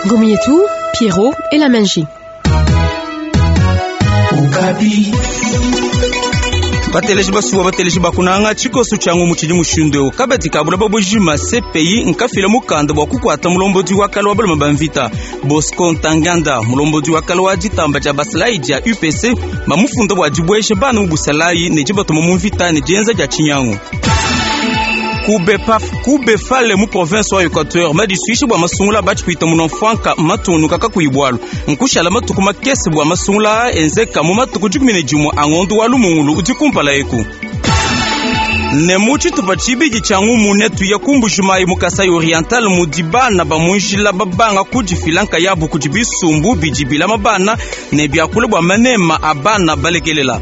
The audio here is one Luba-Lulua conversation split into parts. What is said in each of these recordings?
Ngomi yetu, Pierrot et la Menji. Bateleji basuwa, bateleji bakunanga tshikoso tshia ngumu tshidi mushindu eu. Kabadi ka bulaba bujima CPI nkafila mukanda bua kukuata mulombodi wa kale wa balume ba mvita Bosco Ntaganda. Mulombodi wa kale wa ditamba dia basalayi dia UPC bamufunda bua dibuesha bana mu busalayi ne dibatuma mu mvita ne dienza dia tshinyangu. Kubefale mu province wa Equateur madisuisha bua masungula batshipita munamfuanka matunuka kakuyi bualu. Nkushala matuku makese bua masungula enzeka mu matuku 11 a ngondo wa Lumungulu udi kumpala eku. Ne mu tshitupa tshibidi tshia ngumu netuya ku Mbujimayi mu Kasai Oriental mudi bana ba mu njila babanga kudifila nkayabu kudi bisumbu bidi bilama bana ne biakula bua manema a bana balekelela.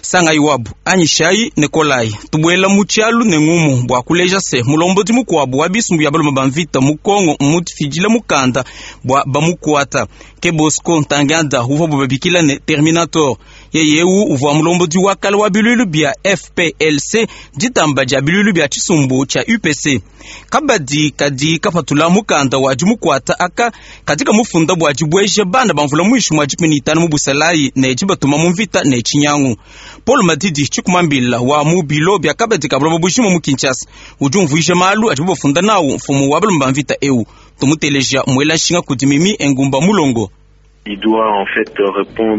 Sangayi wabu anyishayi ne kolayi tubuela mu tshialu ne ngumu bua kuleja se mulombodi mukuabu wa bisumbu bia balume ba mvita mu Kongo mmufidile mukanda bua bamukuata. Ke Bosco Ntaganda uvuabu babikila ne Terminator. Yeye eu uvua mulombodi wa kale wa biluilu bia FPLC, ditamba dia biluilu bia tshisumbu tshia UPC. Kabadi kadi kapatula mukanda wa dimukuata aka kadi kamufunda bua dibueja bana ba mvula muinshi mua 15 mu busalayi ne dibatuma mu mvita ne tshinyangu. Paul Madidi Tshikumambila wa mu bilo bia kabadi ka buloba bujima mu Kinshasa udi umvuija malu adibu bafunda nawu mfumu wa balume ba mvita eu. Tumuteleja muela nshinga kudi Mimi Engumba Mulongo.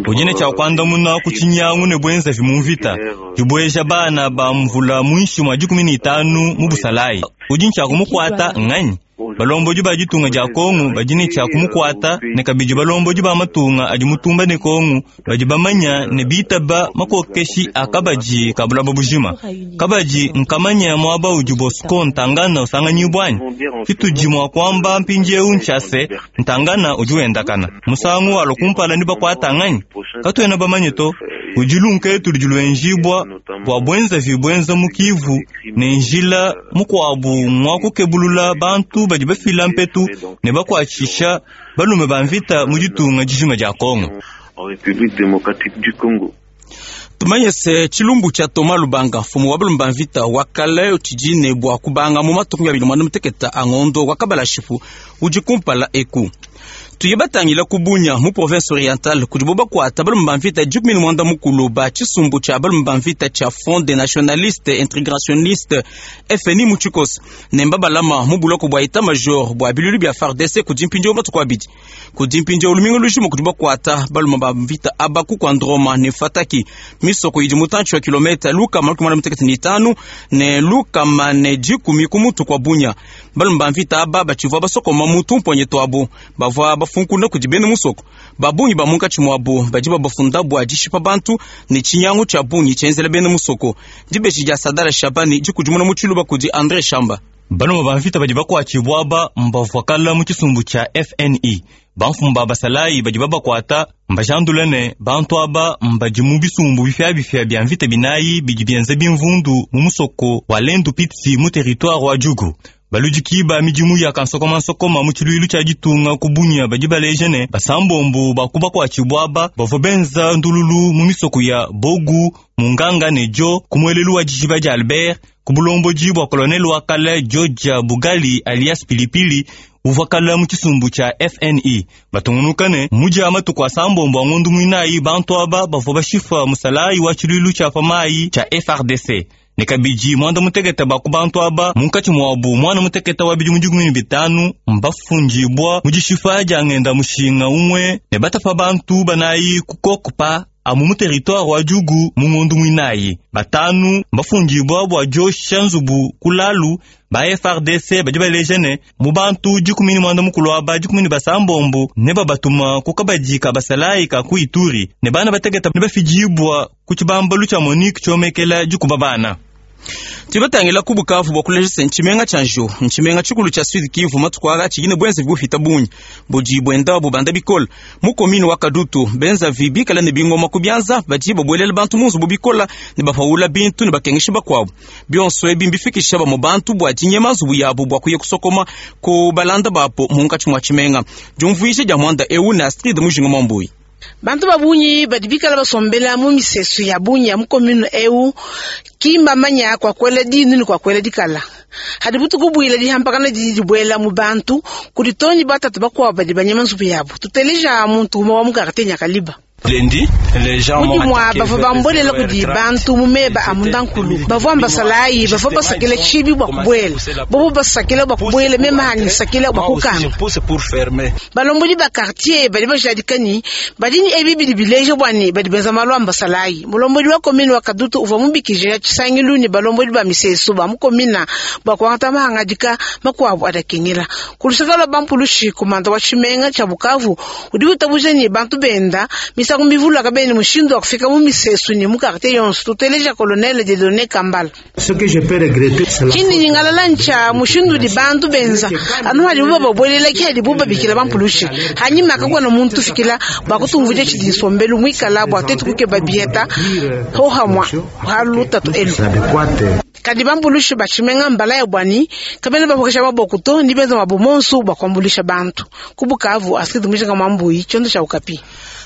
Udi ne tshia kuandamuna ku tshinyangu ne buenzavi mu mvita, dibueja bana ba mvula muinshi mua 15 mu busalayi. Udi ne tshia kumukuata nganyi? Balombodi ba ditunga dia Kongo badi ne tshia kumukuata, ne kabidi balombodi ba matunga adi mutumba ne Kongo badi bamanya ne bitaba makokeshi a kabadi ka bulaba bujima. Kabadi nkamanya muaba udi Bosco Ntaganda usanganyibua anyi? Tshitudi mua kuamba mpindieu ntshia se, Ntaganda udi wendakana. Musangu walua kumpala ne bakuata nganyi? Katuena bamanye to. Udi lunketu ludi luenjibua bua buenzavi buenza mu Kivu ne njila mukuabu ngua kukebulula bantu badi bafila mpetu ne bakuatshisha balume ba mvita mu ditunga dijima dia Kongo. Tumanye se tshilumbu tshia Thomas Lubanga, mfumu wa balume ba mvita wa kale, tshidi ne bua kubanga mu matuku 29 a ngondo wa Kabalashipu udi kumpala eku. Tuye batangila ku Bunia mu province orientale kudibo bakuata balume ba mvita 18 ba tshisumbu tshia balume ba mvita tshia Front des Nationalistes Integrationnistes FNI mu tshikoso ne mbabalama mu buloko bua etat major bua biluilu bia FARDC kudi mpindieu matuku abidi. Kudi mpindieu lumingu lujima kudi bakuata balume ba mvita aba ku Kwandroma ne Fataki, misoko idi mutantshi wa kilometa 165 ne 110 ku mutu kua Bunia. Balume ba mvita aba batshivua basokoma mu tumponye tuabu bavua bafunkuna kudi bena musoko. Ba bungi ba munkatshi muabu badi babafunda bua dishipa bantu ne tshinyangu tshia bungi tshienzela bena musoko. Dibeji dia Sadala Shabani dikudimuna mu tshiluba kudi Andre Shamba. Balume ba mvita badi bakuatshibua aba mbavua kala mu tshisumbu tshia FNI. Bamfumu ba basalayi badi babakuata mbajandula ne bantu aba mbadi mu bisumbu bipiabipia bia mvita binayi bidi bienza bimvundu mu musoko wa Lendu Pitsi mu territoire wa Djugu. Baludiki ba midimu ya kansokomansokoma mu tshiluilu tshia ditunga ku Bunia badi baleja ne basambombo ba ku bakuatshibua aba bavua benza ndululu mu misoko ya Bogu, Munganga ne Djo ku muelelu wa dijiba dia Albert ku bulombodi bua colonel wa kale Georgia Bugali alias Pilipili uvua kale mu tshisumbu tshia FNI. Batungunuka ne mudia matuku asambombo a ngondo muinayi bantu aba bavua bashipa musalayi wa tshiluilu tshia pa mayi tshia FARDC. Ne kabidi muanda mutekete ba ku bantu aba munkatshi muabu muana mutekete wa bidimu 15 mbafundibua mu dishipa dia ngenda mushinga umue ne batapa bantu banayi ku Kokupa amu mu territoire wa Djugu mu ngondo muinayi. Batanu mbafundibua bua diosha nzubu ku Lalu. Ba FARDC badi baleja ne mu bantu 19 aba 16 ne babatuma ku kabadi ka basalayi ka ku Ituri ne bana batekete ne bafidibua ku tshibambalu tshia Monique tshiomekela dikuba bana. Tubatangila ku Bukavu bua kuleja se ntshimenga tshia Njo, ntshimenga tshikulu tshia Sud Kivu matuku aka tshidi ne buenzavi bupita bungi budi buenda bubanda bikole mu commune wa Kadutu. Benzavi bikala ne bingoma ku bianza badi babuelela bantu mu nzubu bikola ne bapawula bintu ne bakengesha bakuabu. Bionso ebi mbifikisha bamue bantu bua dinyema nzubu yabu bua kuya kusokoma ku balanda babu munkatshi mua tshimenga. Diumvuija dia muanda eu ne Astrid Mujinga Mwambui. Bantu ba bungi badi bikala basombela mu misesu ya bungi ya mu commune eu ki mbamanya kua kuela dinu ne kua kuela dikala. Hadi butuku buila dihampakana didi dibuela mu bantu kudi too ne batatu bakuabu badi banyema nzubu yabu. Tuteleja muntu umue wa mu quartier Nyakaliba. Mu dimua bavua bambuelela kudi bantu mu meba a mundankulu. Bavua mbasalayi bavua basakila tshibi bua kubuela. Bobo basakila bua kubuela, meme hanyi nsakila bua kukanga. Balombodi ba quartier badi bajadika ne, badi ne ebi bidi bileja bua ne badi benza malu a mbasalayi. Mulombodi wa commune wa Kadutu uvua mubikije tshisangilu ne balombodi ba misesu ba mu commune bua kuangata mahangadika makuabu adi akengela. Ku luseke lua bampulushi, komanda wa tshimenga tshia Bukavu udi witabuja ne bantu benda misangu mivula kabena ne mushindu wa kufika mu misesu ne mu quartier yonso. Tuteleja Colonel Dieudonne Kambala. Tshindi nyingalala ntshia mushindu udi bantu benza anu hadibu bababuelela ke hadibu babikila bampulushi. Hanyima kakuena muntu ufikila bua kutumvuija tshidi nsombelu muikala bua tuetu kukeba biheta hohamua ha lutatu elu. Kadi bampulushi ba tshimenga mbalaya bua ne kabena bapuekesha maboku to, ne benza muabu monsu bua kuambuluisha bantu. Ku Bukavu, Astrid Mujinga Muambuyi, tshiondo tshia Okapi.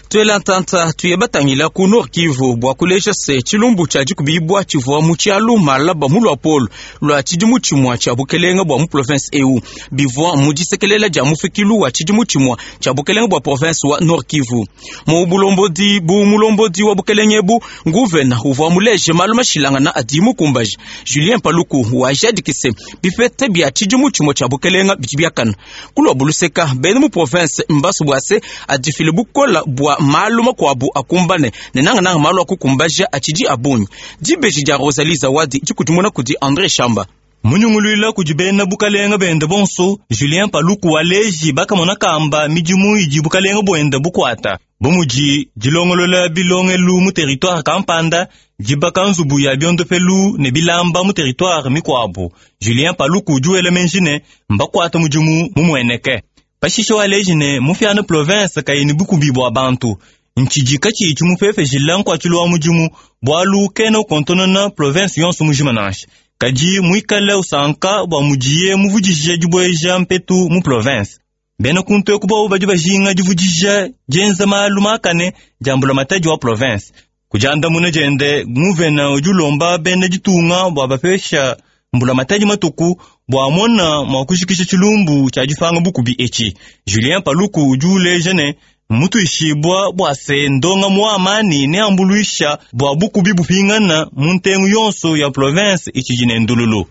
Tuela ntanta tuye batangila ku Nord Kivu bua kuleja se tshilumbu tshia dikubibua tshivua mu tshialu malaba mu luapolo lua tshidimu tshimua tshia bukelenge bua mu province eu bivua mu disekelela dia mufikilu wa tshidimu tshimua tshia bukelenge bua province wa Nord Kivu. Mu bulombodi bu mulombodi wa bukelenge ebu, nguvena uvua muleje malu mashilangana adi mukumbaje. Julien Paluku wajadiki se bipete bia tshidimu tshimue tshia bukelenge bidi biakana. Ku luabu luseka, bena mu province mbasu bua se adifile bukola bua malu makuabu akumbane ne nangananga malu a kukumbaja atshidi a bungi. Dibeji dia Rosalie Zawadi dikudimuna kudi Andre Shamba. Munyunguluila kudi bena bukalenga bende bonso, Julien Paluku waleji bakamona kamba midimu idi bukalenga buende bukuata, bu mudi dilongolola bilongelu mu territoire kampanda, dibaka nzubu ya biondopelu ne bilamba mu territoire mikuabu. Julien Paluku udi wela meji ne, mbakuata mudimu mumueneke. Pashishe waleji ne, mufiana province kayi ne bukubi bua bantu, ntshidi katshiyi tshimupepejila nkuatshilu wa mudimu, bualu kena ukontonona province yonso mujima nansha. Kadi muikale usanka bua mudiye muvudije dibueja mpetu mu province. Bena kuntu eku bobu badi bajinga divudija dienza malu makane dia mbulamatadi wa province. Ku diandamuna diende, nguvena udi ulomba bena ditunga bua bapesha mbulamatadi matuku bua amona mua kujikija tshilumbu tshia dipanga bukubi etshi. Julien Paluku udi uleja ne, mmutuishibua bua se ndongamu wa amani neambuluisha bua bukubi bupingana mu ntengu yonso ya province itshidi ne ndululu.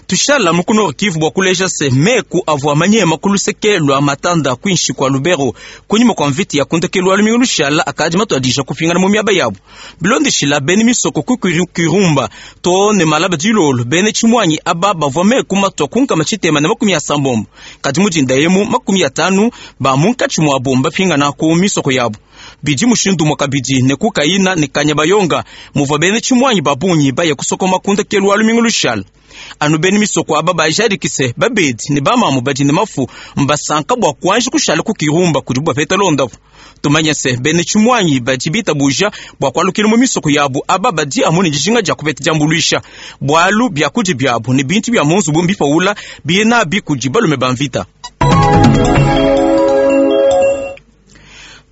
Tushala mu ku Nord Kivu bua kuleja se meku avua manyema ku luseke lua Matanda kuinshi kua Lubero kunyima kua mvita ya ku ndekelu wa lumingu lushala akadi matuadija kupingana mu miaba yabu. Bilondeshila bena misoko ku Kirumba too ne malaba dilolo, bena tshimuanyi aba bavua meku matua ku nkama tshitema ne makumi asambombo, kadi mu dinda emu 50 ba munkatshi muabu mbapingana ku misoko yabu. Bidi mushindu umue kabidi ne ku Kayina ne Kanyabayonga muvua bena tshimuanyi ba bungi baye kusokoma ku ndekelu wa lumingu lushala. Anu bena misoko aba bajadiki se babedi ne bamamu badi ne mafu mbasanka bua kuanji kushala ku Kirumba kudibu bapeta londapu. Tumanye se bena tshimuanyi badi bitabuja bua kualukila mu misoko yabu aba badi amu ne dijinga dia kupeta diambuluisha, bualu biakudia biabu ne bintu bia mu nzubu mbipawula biye nabi kudi balume ba mvita.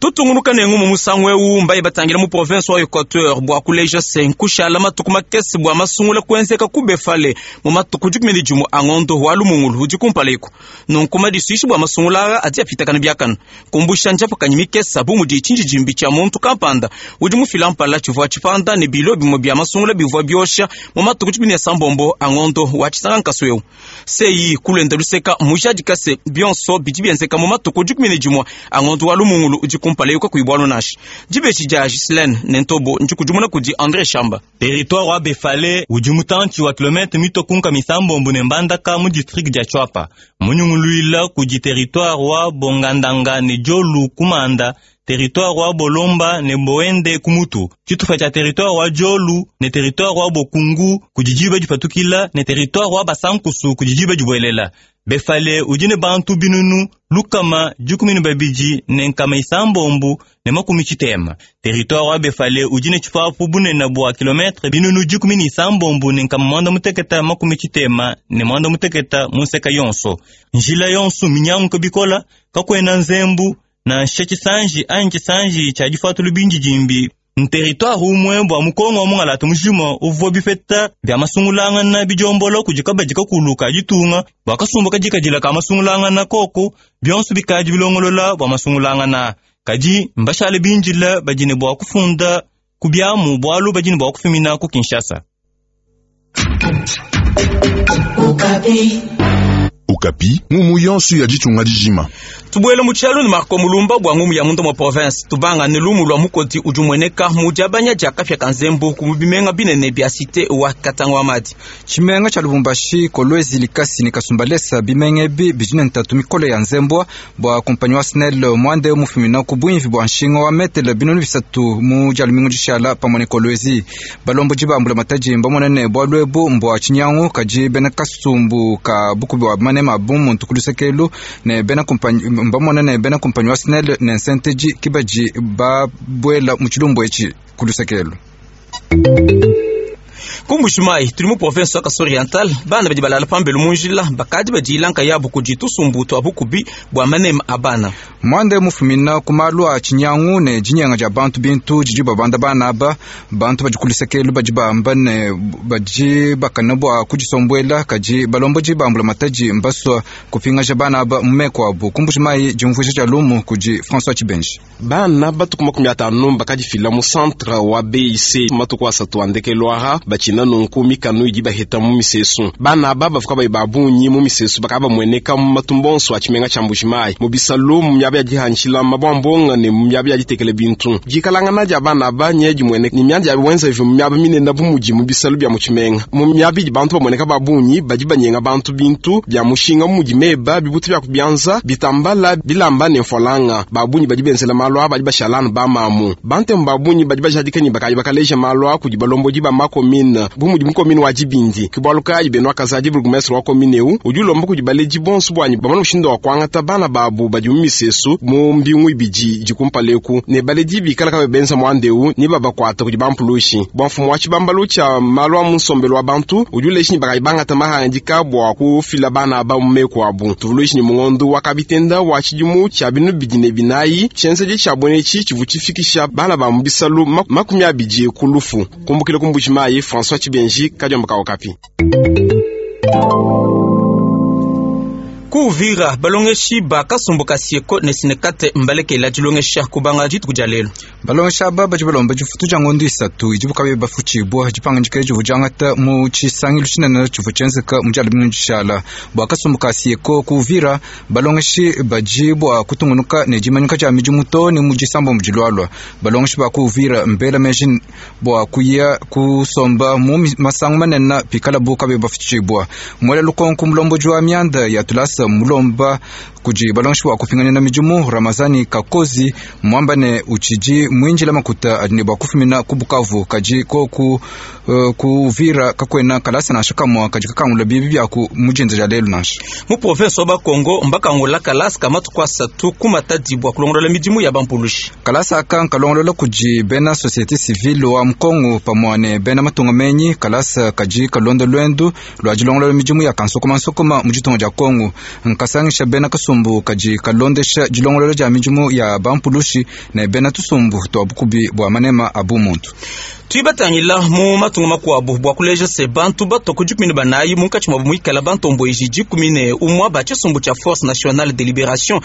Tutungunuka ne ngumu musangu eu mbaye batangila mu province wa Equateur bua kuleja se nkushala matuku makese bua masungula kuenzeka ku Befale mu matuku 11 a ngondo wa Lumungulu udi kumpala eku. Nunku madisuishi bua masungula aa adi apitakana biakana kumbusha njapakanyi mikesa bu mudi tshindidimbi tshia muntu kampanda udi mufila mpala tshivua tshipanda ne bilo bimue bia masungula bivua biosha mu matuku 16 a ngondo wa tshisanga nkasu eu. Sei kulenda luseka mujadika se bionso bidi bienzeka mu matuku 11 a ngondo wa Lumungulu udi kumpala eku kakuyi bualu nansha. Dibeji dia Ghislaine ne Ntobo ndikudimuna kudi Andre Shamba. Territoire wa Befale udi mutantshi wa kilomètre mitue ku nkama isambombo ne Mbandaka mu district dia Tshuapa, munyunguluila kudi territoire wa Bongandanga ne Diolu ku Manda, territoire wa Bolomba ne Boende ku Mutu, tshitupa tshia territoire wa Diolu ne territoire wa Bokungu kudi diba dipatukila ne territoire wa Basankusu kudi diba dibuelela. Befale udi ne bantu binunu 112 ne nkama isambombo ne makumi tshitema. Territoire wa Befale udi ne tshipapu bunene bua kilomètre binunu 16 ne nkama mwanda muteketa makumi tshitema ne mwanda muteketa mu nseka yonso. Njila yonso minyanguka bikola, kakuena nzembu. Nansha tshisanji anyi tshisanji tshia difuatulu bindidimbi nteritware umue bua mu Kongo wa mungalata mujima uvua bipeta bia masungulangana bidiombola kudi kabadi kakulu ka ditunga bua kasumbu kadikadila ka masungulangana koku bionso bikadi bilongolola bua masungulangana kadi mbashale bindila badi ne bua kufunda ku biamu bualu badi ne bua kufumina ku Kinshasa. Okapi, ngumu yonso ya ditunga dijima. Tubuele mu tshialu ne Marco Mulumba bua ngumu ya munda mua province. Tubanga ne lumu lua mukodi udi umueneka mu diabanya dia kapia ka nzembu ku bimenga binene bia cité wa Katanga wa Madi. Tshimenga tshia Lubumbashi, Kolwezi, Likasi ne Kasumbalesa bimenga ebi bidi ne ntatu mikole ya nzembua bua kumpanyi wa SNEL muande mufumina ku buimvi bua nshinga wa metele 3000 mu dia lumingu dishala pamue ne Kolwezi. Balombodi ba mbulamatadi mbamone ne bualu ebu mbua tshinyangu kadi bena kasumbu ka bukubi wa manema bu muntu ku lusekelu ne bena kumpanyi mbamone ne bena kumpanyi wa SNEL ne nsenteji kibadi babuela mu tshilumbu etshi ku lusekelu. Ku Mbuji-Mayi tuli mu province wa Kasai Oriental, bana badi balala pambelu mu njila bakadi badila nkayabu kudi tusumbu tua bukubi bua manema a bana. Muande mufumina ku malu a tshinyangu ne dinyenga dia bantu bintu didi babanda bana aba. Bantu badi ku lusekelu badi bamba ne badi bakana bua kudisombuela kadi balombodi ba mbulamatadi mbasua kupingaja bana aba mu meku abu. Ku Mbuji-Mayi diumvuija dia lumu kudi François Tshibenji. Bana batuku 50 bakadifila mu centre wa BIC matuku asatu a ndekelu aha batshina nunku mikanu idi baheta mu misesu. Bana aba bavuka bayi ba bungi mu misesu bakaba bamueneka mu matumba onso a tshimenga tshia Mbuji-Mayi, mu bisalu, mu miaba ya dihanshila mabwambonga ne mu miaba ya ditekela bintu. Dikalangana dia bana aba nye dimueneka ne mianda ya wenza mu miaba minene bu mudi mu bisalu bia mu tshimenga. Mu miaba idi bantu bamueneka ba bungi badi banyenga bantu bintu bia mushinga mu mudi meba, bibutu bia kubianza, bitambala, bilamba ne mfolanga. Ba bungi badi benzela malu aba badi bashalana ba mamu. Bantemu ba bungi badi bajadika ne bakayi bakaleja malu a kudi balombodi ba makomine bu mudi mukomine wa Dibindi. Ke bualu kayi Benoit Kazadi bourgmestre wa komine eu udi ulomba kudi baledi bonso bwanyi bamone mushindu wa kuangata bana babu badi mu misesu mu mbingu ibidi idi kumpala eku ne baledi bikala kabe benza muanda eu ne babakuata kudi bampulushi. Bua mfumu wa tshibambalu tshia malu a mu nsombelu wa bantu udi uleja ne bakayi bangata mahangadika bua kufila bana aba mu meku abu. Tuvuluishi ne mungondo wa kabitenda wa tshidimu tshia 2004 tshienzedi tshia bwenetshi tshivua tshifikisha bana ba mu bisalu 20 ku lufu. Kumbukila ku Mbuji-Mayi, François Tshibenji, Kadiomba ka Okapi. Ku Uvira balongeshi ba kasumbu ka Sieko ne Sinekate mbalekela dilongesha kubanga dituku dia lelu. Balongesha aba badi balomba difutu dia ngondo 3 idi bukabe bafutshibua dipangandika divu diangata mu tshisangilu tshinene tshivua tshienzeka mu dia lumingu dishala. Bua kasumbu ka Sieko ku Uvira balongeshi badi bua kutungunuka ne dimanyika dia midimu to ne mu disamba mu dilualua. Balongeshi ba ku Uvira mbela meji bua kuya kusomba mu masangu manene pikala bukabe bafutshibua. Mwela lukonko mulomboji wa mianda ya tulasa mulomba kudi balongeshi bua kupinganina midimu Ramazani Kakozi mwamba ne utshidi mwinjila makuta adi ne bua kufumina ku Bukavu kadi koku ku Uvira kakwena kalasa nansha kamwa kadi kakangula bibi byaku mujinza dia lelu nansha. Mu province wa Bakongo mbakangula kalasa kamatuku asatu ku Matadi bua kulongolola midimu ya bampulushi. Kalasa aka nkalongolola kudi bena société civile wa Mukongo pamua ne bena matunga menyi. Kalasa kadi kalonda lwendu lua dilongolola midimu ya kansokoma nsokoma mu ditunga dia Kongo. Nkasangisha bena kasumbu kadi kalondesha dilongolola dia midimu ya bampulushi ne bena tusumbu tua bukubi bua manema a bumuntu. Tuibatangila mu matunga makuabu bua kuleja se bantu bato ku 14 munkatshi mwabu muikala bantomboiji 11 ba tshisumbu tshia Force Nationale de Liberation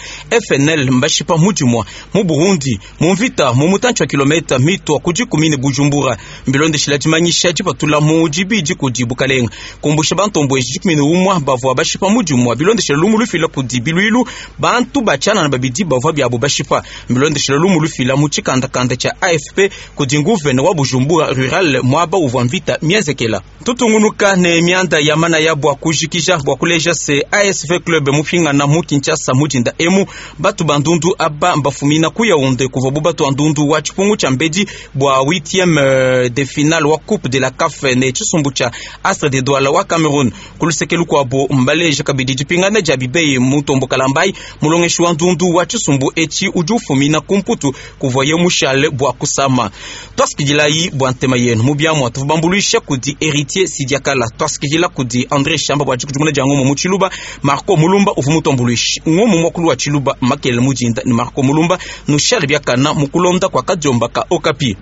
FNL mbashipa mudimwa mu Burundi mu mvita mu mutantshi wa kilomita mitwa ku 10 ne Bujumbura. Mbilondeshila dimanyisha dipatula mu dibidi kudi bukalenga kumbusha bantomboiji 11 bavua bashipa mudimwa bilondeshila lumu lufila kudi bilwilu bantu bachanana babidi bavua byabo bashipa. Mbilondeshila lumu lufila mu tshikandakanda tshia AFP kudi nguvene wa Bujumbura rural mwaba uvua mvita mienzekela. Tutungunuka ne mianda ya mana ya bua kujikija bua kuleja se ASV Club mupingana mu Kinshasa mujinda emu batu bandundu aba mbafumina ku Yaounde kuva bu batu andundu wa tshipungu tshia mbedi bua 8e de finale wa Coupe de la CAF ne tshisumbu tshia Astre de Douala wa Cameroun. Kulusekelu kwabo mbaleja kabidi dipingana dia bibeye mutombo kalambai mulongeshi wa ndundu wa tshisumbu etshi udi ufumina ku Mputu kuvaye mushale bua kusama. Twasikidilai. bua ntema yenu mu biamua tuvua bambuluisha kudi Heritier Sidiakala, tuasikidila kudi Andre Shamba bua dikudimuna dia ngumu mu Tshiluba. Marco Mulumba uvua mutuambuluishe ngumu muakulu wa Tshiluba makelela mudinda ne Marco Mulumba nushale biakana mu kulonda kua kadiomba ka Okapi.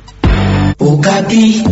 Okapi.